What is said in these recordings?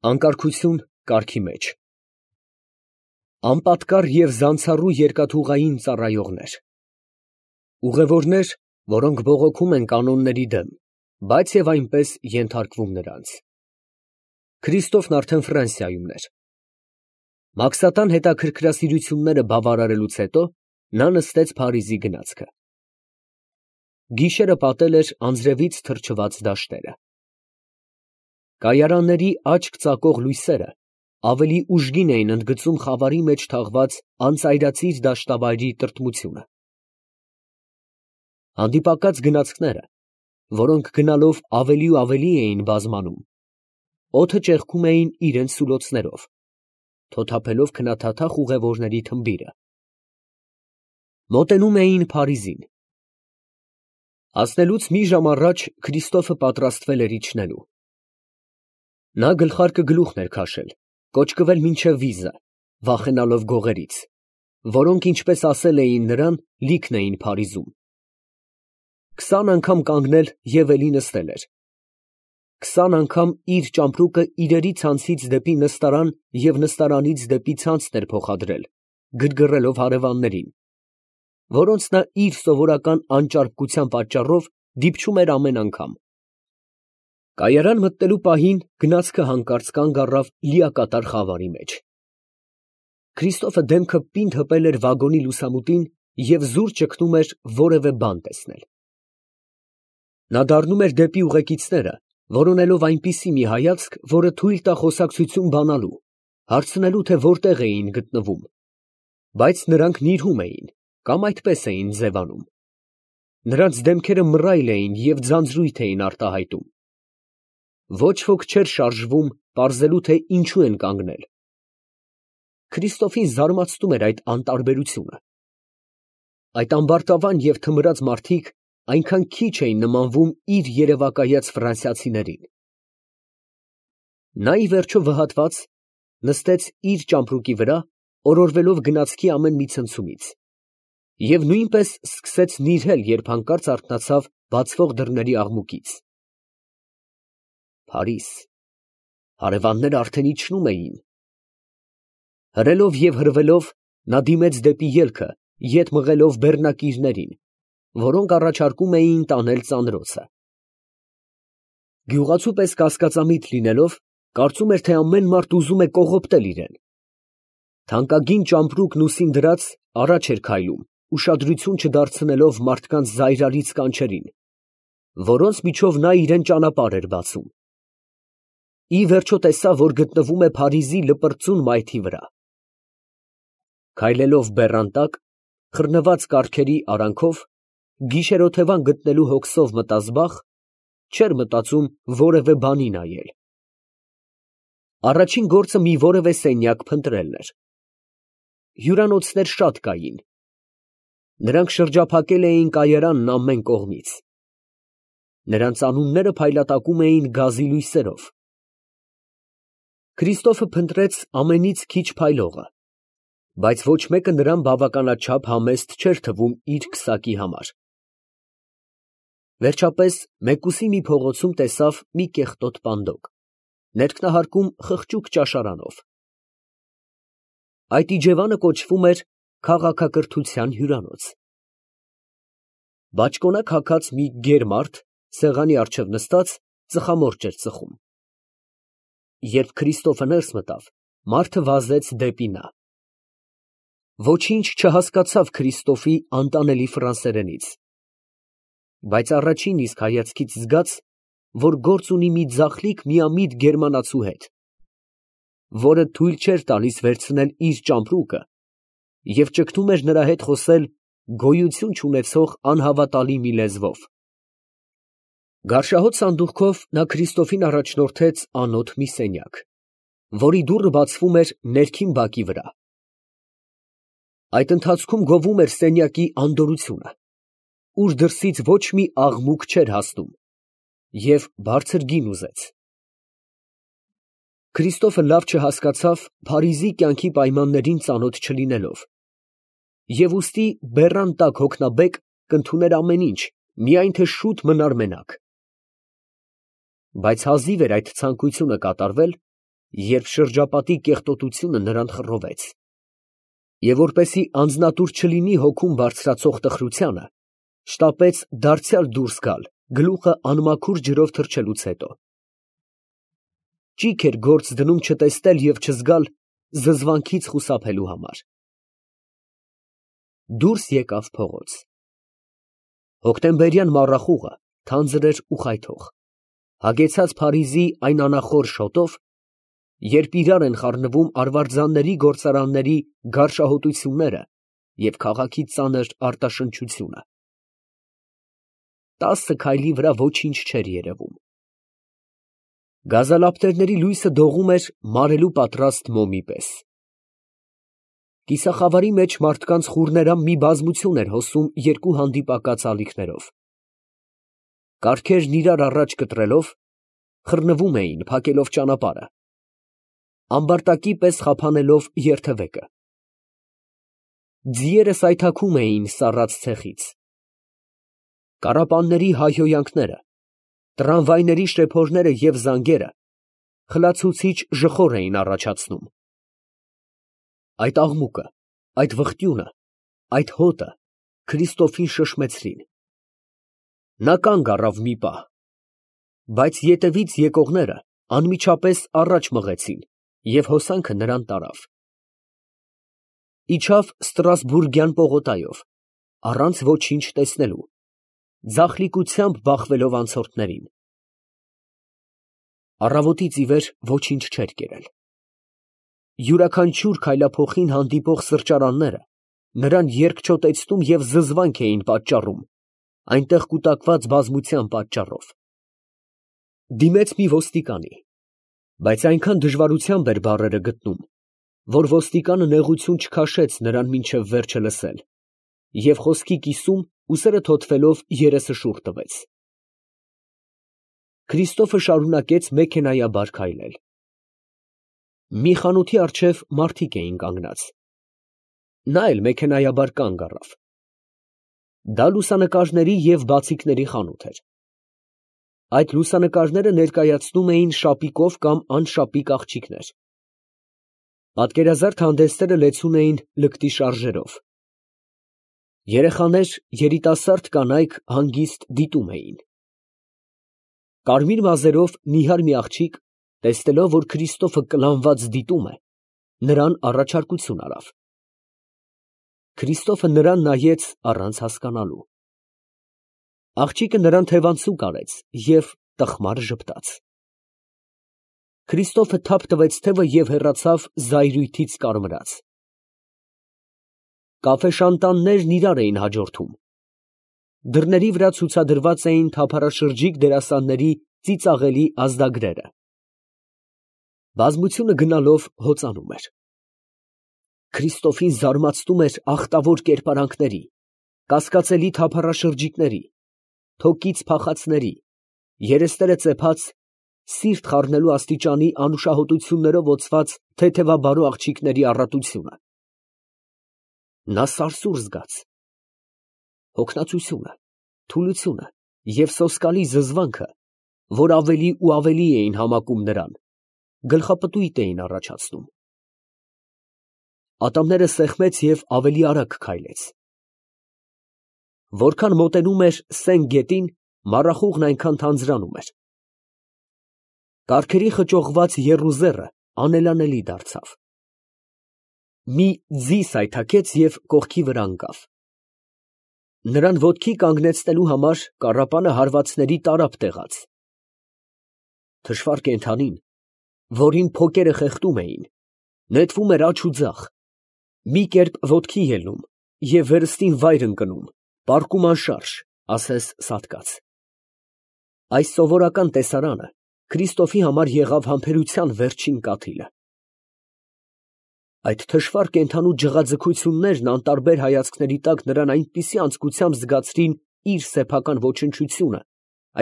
Անկարգություն կարգի մեջ։ Անպատկառ և զանցառու երկաթուղային ծառայողներ։ Ուղևորներ, որոնք բողոքում են կանոնների դեմ, բայց և այնպես ենթարկվում նրանց։ Քրիստոֆն արդեն Ֆրանսիայումն էր։ Մաքսատան հետաքրքրասիրությունները բավարարելուց հետո նա նստեց Փարիզի գնացքը։ Գիշերը պատել էր անձրևից թրջված դաշտերը։ Կայարանների աչք ծակող լույսերը ավելի ուժգին էին ընդգծում խավարի մեջ թաղված անծայրածիր դաշտավայրի տրտմությունը։ Հանդիպակաց գնացքները, որոնք գնալով ավելի ու ավելի էին բազմանում, օդը ճեղքում էին իրենց սուլոցներով, թոթափելով քնաթաթախ ուղևորների թմբիրը։ Մոտենում էին Փարիզին։ Հասնելուց մի ժամ առաջ Քրիստոֆը պատրաստվել էր իջնելու։ Նա գլխարկը գլուխն էր քաշել, կոճկվել մինչև վիզը, վախենալով գողերից, որոնք, ինչպես ասել էին նրան, լիքն էին Փարիզում։ 20 անգամ կանգնել և էլի նստել էր։ 20 անգամ իր ճամպրուկը իրերի ցանցից դեպի նստարան և նստարանից դեպի ցանցն էր փոխադրել, գրգռելով հարևաններին, որոնց նա իր սովորական անճարպկության պատճառով դիպչում էր ամեն անգամ։ Կայարան մտնելու պահին գնացքը հանկարծ կանգ առավ լիակատար խավարի մեջ։ Քրիստոֆը դեմքը պինդ հպել էր վագոնի լուսամուտին և զուր ճգնում էր որևէ բան տեսնել։ Նա դառնում էր դեպի ուղեկիցները, որոնելով այնպիսի մի հայացք, որը թույլ տա խոսակցություն բանալու, հարցնելու, թե որտեղ էին գտնվում, բայց նրանք նիրհում էին կամ այդպես էին ձևանում։ Նրանց դեմքերը մռայլ էին և ձանձրույթ էին արտահայտում։ Ոչ ոք չէր շարժվում պարզելու, թե ինչու են կանգնել։ Քրիստոֆին զարմացնում էր այդ անտարբերությունը։ Այդ ամբարտավան և թմրած մարդիկ այնքան քիչ էին նմանվում իր երևակայած ֆրանսիացիներին։ Նա ի վերջո վհատված նստեց իր ճամպրուկի վրա, օրորվելով գնացքի ամեն մի ցնցումից, և նույնպես սկսեց նիրհել, երբ հանկարծ արթնացավ բացվող դռների աղմուկից։ Փարիզ, հարևանները արդեն իջնում էին։ Հրելով և հրվելով նա դիմեց դեպի ելքը, ետ մղելով բեռնակիրներին, որոնք առաջարկում էին տանել ծանրոցը։ Գյուղացու պես կասկածամիտ լինելով, կարծում էր, թե ամեն մարդ ուզում է կողոպտել իրան։ Թանկագին ճամպրուկն ուսին դրած առաջ էր քայլում, ուշադրություն չդարձնելով մարդկանց զայրալից կանչերին, որոնց միջով նա իրան ճանապարհ էր բացում։ Ի վերջո տեսավ, որ գտնվում է Փարիզի լպրծուն մայթի վրա։ Քայլելով բեռան տակ, խռնված կառքերի արանքով, գիշերօթևան գտնելու հոգսով մտազբաղ, չէր մտածում որևէ բանի նայել։ Առաջին գործը մի որևէ սենյակ փնտրելն էր։ Հյուրանոցներ շատ կային։ Նրանք շրջափակել էին կայարանն ամեն կողմից։ Նրանց անունները փայլատակում էին գազի լույսերով։ Քրիստոֆը փնտրեց ամենից քիչ փայլողը, բայց ոչ մեկը նրան բավականաչափ համեստ չէր թվում իր քսակի համար։ Վերջապես մեկուսի մի փողոցում տեսավ մի կեղտոտ պանդոկ, ներքնահարկում խղճուկ ճաշարանով։ Այդ իջևանը կոչվում էր «Քաղաքակրթության հյուրանոց»։ Բաճկոնակ հագած մի գեր մարդ սեղանի առջև նստած ծխամորճ էր ծխում։ Երբ Քրիստոֆը ներս մտավ, մարդը վազեց դեպի նա։ Ոչինչ չհասկացավ Քրիստոֆի անտանելի ֆրանսերենից, բայց առաջին իսկ հայացքից զգաց, որ գործ ունի մի ձախլիկ միամիտ գերմանացու հետ, որը թույլ չէր տալիս վերցնել իր ճամպրուկը և ճգնում էր նրա հետ խոսել գոյություն չունեցող անհավատալի մի լեզվով։ Գարշահոտ սանդուղքով նա Քրիստոֆին առաջնորդեց անոտ մի սենյակ, որի դուռը բացվում էր ներքին բակի վրա։ Այդ ընթացքում գովում էր սենյակի անդորրությունը, ուր դրսից ոչ մի աղմուկ չէր հասնում, և բարձր գին ուզեց։ Քրիստոֆը լավ չհասկացավ Փարիզի կյանքի պայմաններին ծանոթ չլինելով, և ուստի բեռան տակ հոգնաբեկ կընդուներ ամեն ինչ, միայն թե շուտ մնար մենակ։ Բայց հազիվ էր այդ ցանկությունը կատարվել, երբ շրջապատի կեղտոտությունը նրան խռովեց, և որպեսզի անձնատուր չլինի հոգում բարձրացող տխրությանը, շտապեց դարձյալ դուրս գալ, գլուխը անմաքուր ջրով թռչելուց հետո։ Ճիգ էր գործ դնում չտեսնել և չզգալ զզվանքից խուսափելու համար։ Դուրս եկավ փողոց։ Հոկտեմբերյան մառախուղը թանձր էր ու խայթող, հագեցած Փարիզի այն անախոր շոտով, երբ իրար են խառնվում արվարձանների գործարանների գարշահոտությունները և քաղաքի ծանր արտաշնչությունը։ 10 քայլի վրա ոչինչ չէր երևում։ Գազալապտերների լույսը դողում էր մարելու պատրաստ մոմի պես։ Կիսախավարի մեջ մարդկանց խուռներամ մի բազմություն էր հոսում երկու հանդիպակաց ալիքներով։ Կառքերն իրար առաջ կտրելով, խռնվում էին, փակելով ճանապարհը, ամբարտակի պես խափանելով երթևեկը։ Ձիերը սայթաքում էին սառած ցեխից։ Կառապանների հայհոյանքները, տրամվայների շրեփորները և զանգերը խլացուցիչ ժխոր էին առաջացնում։ Այդ աղմուկը, այդ վխտյունը, այդ հոտը Քրիստոֆին շշմեցրին։ Նա կանգ առավ մի պահ, բայց ետևից եկողները անմիջապես առաջ մղեցին և հոսանքը նրան տարավ։ Իջավ Ստրասբուրգյան պողոտայով, առանց ոչինչ տեսնելու, ձախլիկությամբ բախվելով անցորդներին։ Առավոտից ի վեր ոչինչ չէր կերել։ Յուրաքանչյուր քայլափոխին հանդիպող սրճարանները նրան երկչոտեցնում և զզվանք էին պատճառում, այնտեղ կուտակված բազմության պատճառով։ Դիմեց մի ոստիկանի, բայց այնքան դժվարությամբ էր բառերը գտնում, որ ոստիկանը նեղություն չքաշեց նրան մինչև վերջը լսել, և խոսքի կիսում ուսերը թոթվելով երեսը շուռ տվեց։ Քրիստոֆը շարունակեց մեքենայաբար քայլել։ Մի խանութի առջև մարդիկ էին կանգնած։ Նա էլ մեքենայաբար կանգ առավ։ Դա լուսանկարների և բացիկների խանութ էր։ Այդ լուսանկարները ներկայացնում էին շապիկով կամ անշապիկ աղջիկներ։ Պատկերազարդ հանդեսները լեցուն էին լկտի շարժերով։ Երեխաներ, երիտասարդ կանայք հանգիստ դիտում էին։ Կարմիր մազերով նիհար մի աղջիկ, տեսնելով, որ Քրիստոֆը կլանված դիտում է, նրան առաջարկություն արավ։ Քրիստոֆը նրան նայեց առանց հասկանալու։ Աղջիկը նրան թևանցուկ արեց և տխմար ժպտաց։ Քրիստոֆը թափ տվեց թևը և հեռացավ զայրույթից կարմրած։ Կաֆեշանտաններն իրար էին հաջորդում։ Դռների վրա ցուցադրված էին թափառաշրջիկ դերասանների ծիծաղելի ազդագրերը։ Բազմությունը գնալով հոծանում էր։ Քրիստոֆին զարմացնում էր ախտավոր կերպարանքների, կասկածելի թափառաշրջիկների, թոկից փախածների, երեսները ծեփած, սիրտ խառնելու աստիճանի անուշահոտություններով օծված թեթևաբարո աղջիկների առատությունը։ Նա սարսուռ զգաց։ Հոգնածությունը, թուլությունը և սոսկալի զզվանքը, որ ավելի ու ավելի էին համակում նրան, գլխապտույտ էին առաջացնում։ Ատամները սեղմեց և ավելի արագ քայլեց։ Որքան մոտենում էր Սեն գետին, մառախուղն այնքան թանձրանում էր։ Կառքերի խճողված եռուզեռը անելանելի դարձավ։ Մի ձի սայթաքեց և կողքի վրա ընկավ։ Նրան ոտքի կանգնեցնելու համար կառապանը հարվածների տարափ տեղաց։ Թշվառ կենդանին, որին փոկերը խեղդում էին, նետվում էր աջ ու ձախ, մի կերպ ոտքի ելնում և վերստին վայր ընկնում, պառկում անշարժ, ասես սատկած։ Այս սովորական տեսարանը Քրիստոֆի համար եղավ համբերության վերջին կաթիլը։ Այդ թշվառ կենդանու ջղաձգություններն անտարբեր հայացքների տակ նրան այնպիսի անձկությամբ զգացրին իր սեփական ոչնչությունը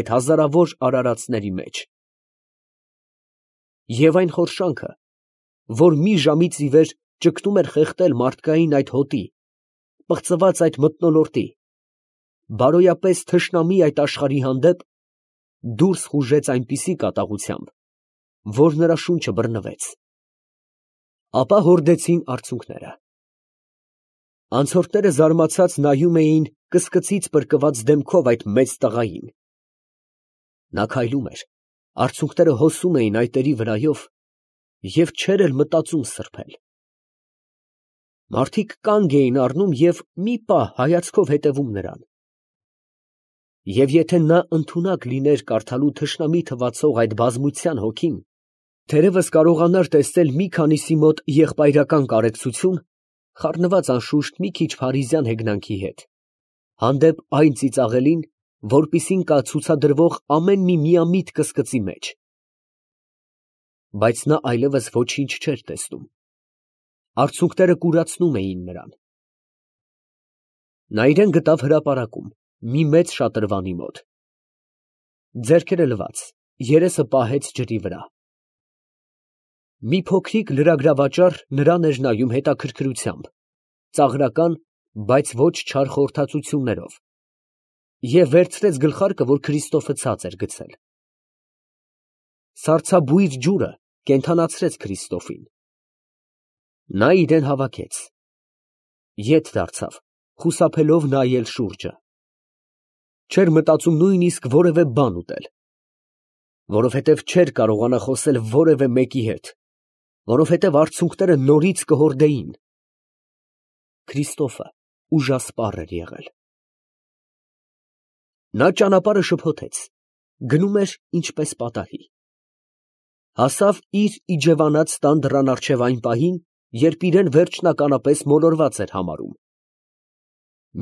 այդ հազարավոր արարածների մեջ։ Եվ այն խորշանքը, որ մի ժամից ի վեր ճգնում էր խեղդել մարդկային այդ հոտի, պղծված այդ մթնոլորտի, բարոյապես թշնամի այդ աշխարհի հանդեպ, դուրս խուժեց այնպիսի կատաղությամբ, որ նրա շունչը բռնվեց։ Ապա հորդեցին արցունքները։ Անցորդները զարմացած նայում էին կսկծից պրկված դեմքով այդ մեծ տղային։ Նա քայլում էր, արցունքները հոսում էին այտերի վրայով և չէր էլ մտածում սրբել։ Մարդիկ կանգ էին առնում և մի պահ հայացքով հետևում նրան։ Եվ եթե նա ընդունակ լիներ կարդալու թշնամի թվացող այդ բազմության հոգին, թերևս կարողանար տեսնել մի քանիսի մոտ եղբայրական կարեկցություն, խառնված անշուշտ մի քիչ փարիզյան հեգնանքի հետ, հանդեպ այն ծիծաղելին, որպիսին կա ցուցադրվող ամեն մի միամիտ կսկծի մեջ։ Բայց նա այլևս ոչինչ չէր տեսնում։ Արցունքները կուրացնում էին նրան։ Նա իրան գտավ հրապարակում, մի մեծ շատրվանի մոտ։ Ձեռքերը լվաց, երեսը պահեց ջրի վրա։ Մի փոքրիկ լրագրավաճառ նրան էր նայում հետաքրքրությամբ, ծաղրական, բայց ոչ չար խորհրդածություններով, և վերցրեց գլխարկը, որ Քրիստոֆը ցած էր գցել։ Սառցաբույր ջուրը կենդանացրեց Քրիստոֆին։ Նա իրեն հավաքեց, ետ դարձավ, խուսափելով նայել շուրջը։ Չէր մտածում նույնիսկ որևէ բան ուտել, որովհետև չէր կարողանա խոսել որևէ մեկի հետ, որովհետև արցունքները նորից կհորդեին։ Քրիստոֆը ուժասպառ էր եղել։ Նա ճանապարհը շփոթեց, գնում էր ինչպես պատահի։ Հասավ իր իջևանած տան դռան առջև այն պահին, երբ իրեն վերջնականապես մոլորված էր համարում։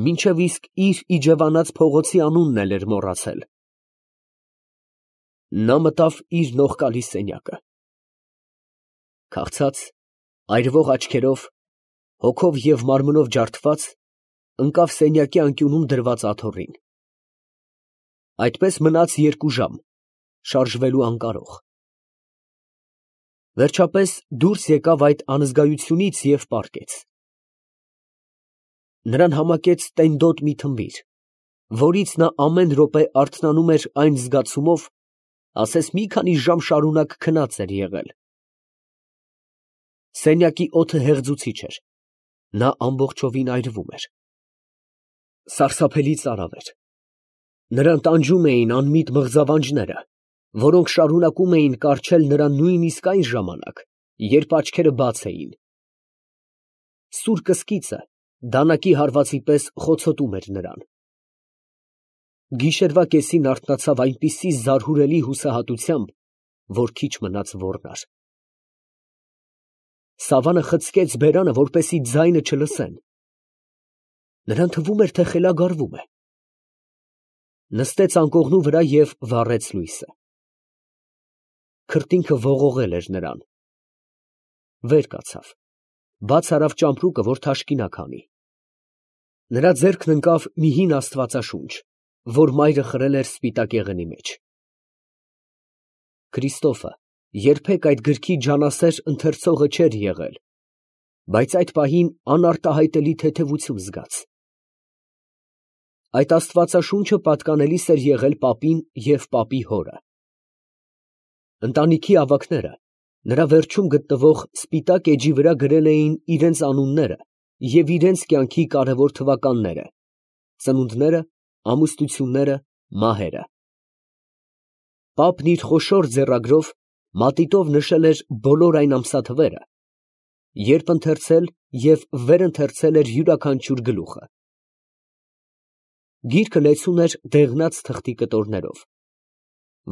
Մինչև իսկ իր իջևանած փողոցի անունն էլ էր մոռացել։ Նա մտավ իր նողկալի սենյակը։ Քաղցած, այրվող աչքերով, հոգով և մարմնով ջարդված, ընկավ սենյակի անկյունում դրված աթոռին։ Այդպես մնաց 2 ժամ, շարժվելու անկարող։ Վերջապես դուրս եկավ այդ անզգայությունից և պառկեց։ Նրան համակեց տենդոտ մի թմբիր, որից նա ամեն րոպե արթնանում էր այն զգացումով, ասես մի քանի ժամ շարունակ քնած էր եղել։ Սենյակի օդը հեղձուցիչ էր, նա ամբողջովին այրվում էր։ Սարսափելի ծարավ էր։ Նրան տանջում էին անմիտ մղձավանջները, որոնք շարունակում էին կառչել նրան նույնիսկ այն ժամանակ, երբ աչքերը բաց էին։ Սուր կսկիծը դանակի հարվածի պես խոցոտում էր նրան։ Գիշերվա կեսին արթնացավ այնպիսի զարհուրելի հուսահատությամբ, որ քիչ մնաց ոռնար։ Սավանը խցկեց բերանը, որպեսզի ձայնը չլսեն։ Նրան թվում էր, թե խելագարվում է։ Նստեց անկողնու վրա և վառեց լույսը։ Քրտինքը ողողել էր նրան։ Վեր կացավ, բաց արավ ճամպրուկը, որ թաշկինակ հանի։ Նրա ձեռքն ընկավ մի հին աստվածաշունչ, որ մայրը խրել էր սպիտակ եղենի մեջ։ Քրիստոֆը երբեք այդ գրքի ջանասեր ընթերցողը չէր եղել, բայց այդ պահին անարտահայտելի թեթևություն զգաց։ Այդ աստվածաշունչը պատկանելիս էր եղել պապին և պապի հորը։ Ընտանիքի ավագները նրա վերջում գտնվող սպիտակ էջի վրա գրել էին իրենց անունները և իրենց կյանքի կարևոր թվականները, ծնունդները, ամուսնությունները, մահերը։ Պապն իր խոշոր ձեռագրով մատիտով նշել էր բոլոր այն ամսաթվերը, երբ ընթերցել և վերընթերցել էր յուրաքանչյուր գլուխը։ Գիրքը լեցուն էր դեղնած թղթի կտորներով,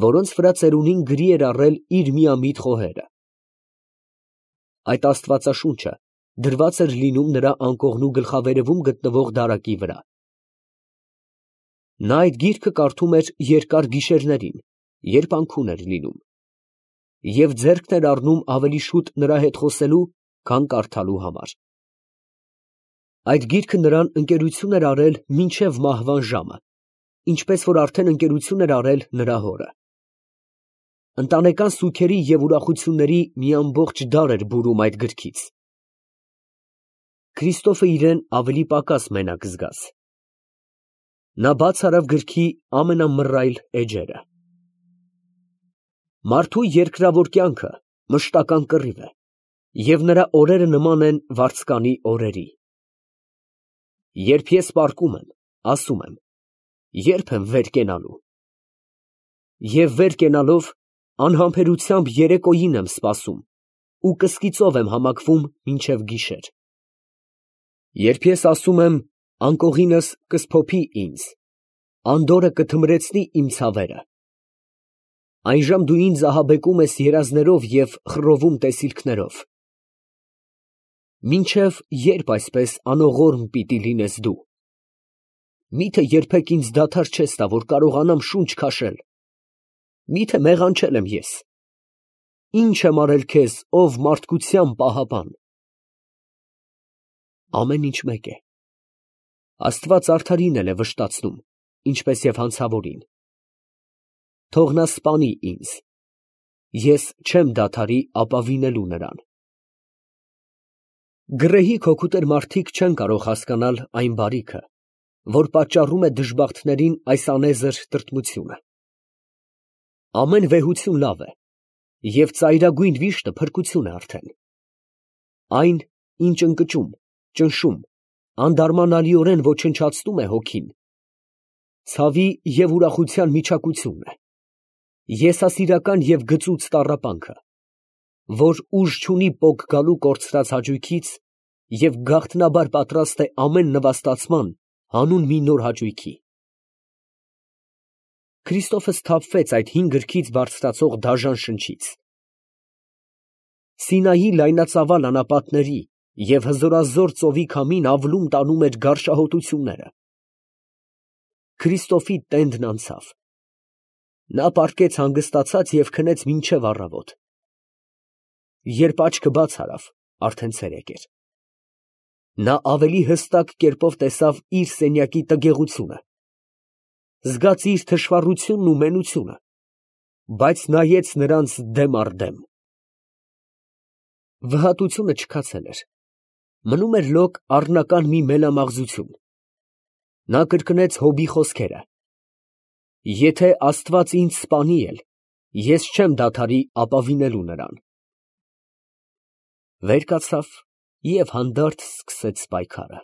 որոնց վրա ծերունին գրի էր առել իր միամիտ խոհերը։ Այդ աստվածաշունչը դրված էր լինում նրա անկողնու գլխավերևում գտնվող դարակի վրա։ Նա այդ գիրքը կարդում էր երկար գիշերներին, երբ անքուն էր լինում, և ձեռքն էր առնում ավելի շուտ նրա հետ խոսելու, քան կարդալու համար։ Այդ գիրքը նրան ընկերություն էր արել մինչև մահվան ժամը, ինչպես որ արդեն ընկերություն էր արել նրա հորը։ Ընտանեկան սուգերի և ուրախությունների մի ամբողջ դար էր բուրում այդ գրքից։ Քրիստոֆը իրեն ավելի պակաս մենակ զգաց։ Նա բաց արավ գրքի ամենամռայլ էջերը։ Մարդու երկրավոր կյանքը մշտական կռիվ է, և նրա օրերը նման են վարձկանի օրերի։ Երբ ես պառկում եմ, ասում եմ. երբ եմ վեր կենալու։ Եվ վեր կենալով անհամբերությամբ երեկոյին եմ սպասում ու կսկիծով եմ համակվում մինչև գիշեր։ Երբ ես ասում եմ. անկողինս կսփոփի ինձ, անդորրը կթմրեցնի իմ ցավերը, այնժամ դու ինձ ահաբեկում ես երազներով և խռովում տեսիլքներով։ Մինչև ե՞րբ այսպես անողորմ պիտի լինես դու։ Միթե երբեք ինձ դադար չես տա, որ կարողանամ շունչ քաշել։ Միթե մեղանչել եմ ես։ Ի՞նչ եմ արել քեզ, ով մարդկության պահապան։ Ամեն ինչ մեկ է. Աստված արդարին էլ է վշտացնում, ինչպես և հանցավորին։ Թող նա սպանի ինձ, ես չեմ դադարի ապավինելու նրան։ Գռեհիկ հոգուտեր մարդիկ չեն կարող հասկանալ այն բարիքը, որ պատճառում է դժբախտներին այս անեզր տրտմությունը։ Ամեն վեհություն լավ է, և ծայրագույն վիշտը փրկություն է արդեն։ Այն, ինչ ընկճում, ճնշում, անդարմանալիորեն ոչնչացնում է հոգին, ցավի և ուրախության միջակությունն է, եսասիրական և գծուծ տառապանքը, որ ուժ չունի պոկ գալու կորցրած հաճույքից և գաղտնաբար պատրաստ է ամեն նվաստացման հանուն մի նոր հաճույքի։ Քրիստոֆը սթափվեց այդ հին գրքից բարձրացող դաժան շնչից։ Սինայի լայնածավալ անապատների և հզորազոր ծովի քամին ավլում տանում էր գարշահոտությունները։ Քրիստոֆի տենդն անցավ։ Նա պառկեց հանգստացած և քնեց մինչև առավոտ։ Երբ աչքը բաց արավ, արդեն ցերեկ էր։ Նա ավելի հստակ կերպով տեսավ իր սենյակի տգեղությունը, զգաց իր թշվառությունն ու մենությունը, բայց նայեց նրանց դեմ առ դեմ։ Վհատությունը չքացել էր, մնում էր լոկ առնական մի մելամաղձություն։ Նա կրկնեց Հոբի խոսքերը. «Եթե Աստված ինձ սպանի էլ, ես չեմ դադարի ապավինելու նրան»։ Վեր կացավ և հանդարտ սկսեց պայքարը։